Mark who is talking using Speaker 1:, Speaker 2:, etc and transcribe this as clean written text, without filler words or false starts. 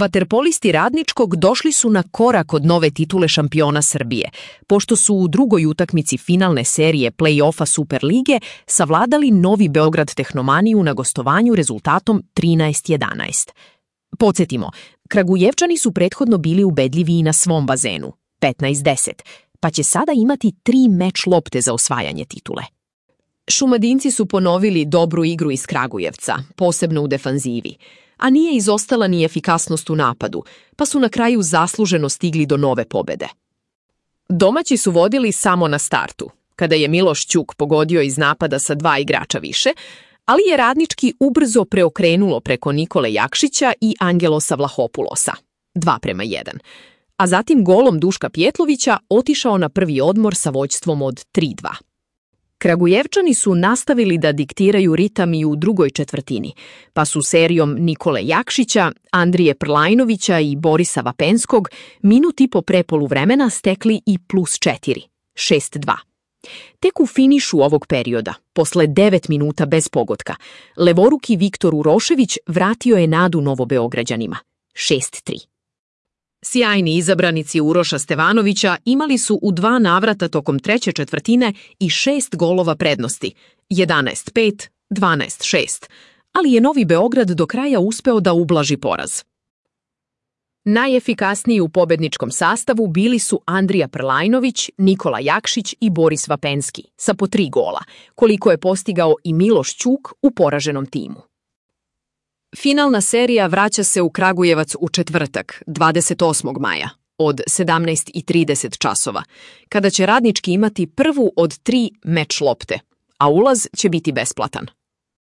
Speaker 1: Vaterpolisti Radničkog došli su na korak od nove titule šampiona Srbije, pošto su u drugoj utakmici finalne serije play-offa Superlige savladali Novi Beograd Tehnomaniju na gostovanju rezultatom 13:11. Podsjetimo, Kragujevčani su prethodno bili ubedljivi i na svom bazenu, 15:10, pa će sada imati 3 meč lopte za osvajanje titule. Šumadinci su ponovili dobru igru iz Kragujevca, posebno u defanzivi, a nije izostala ni efikasnost u napadu, pa su na kraju zasluženo stigli do nove pobede. Domaći su vodili samo na startu, kada je Miloš Ćuk pogodio iz napada sa 2 igrača više, ali je Radnički ubrzo preokrenulo preko Nikole Jakšića i Angelosa Vlahopulosa, 2:1, a zatim golom Duška Pjetlovića otišao na prvi odmor sa vođstvom od 3:2. Kragujevčani su nastavili da diktiraju ritam i u drugoj četvrtini, pa su serijom Nikole Jakšića, Andrije Prlajnovića i Borisa Vapenskog minut i po pre poluvremena stekli i +4, 6:2. Tek u finišu ovog perioda, posle 9 minuta bez pogotka, levoruki Viktor Urošević vratio je nadu Novobeograđanima, 6:3. Sjajni izabranici Uroša Stevanovića imali su u 2 navrata tokom treće četvrtine i 6 golova prednosti, 11:5, 12:6, ali je Novi Beograd do kraja uspeo da ublaži poraz. Najefikasniji u pobedničkom sastavu bili su Andrija Prlajnović, Nikola Jakšić i Boris Vapenski, sa po 3 gola, koliko je postigao i Miloš Ćuk u poraženom timu. Finalna serija vraća se u Kragujevac u četvrtak, 28. maja, od 17:30 časova, kada će Radnički imati prvu od 3 meč lopte, a ulaz će biti besplatan.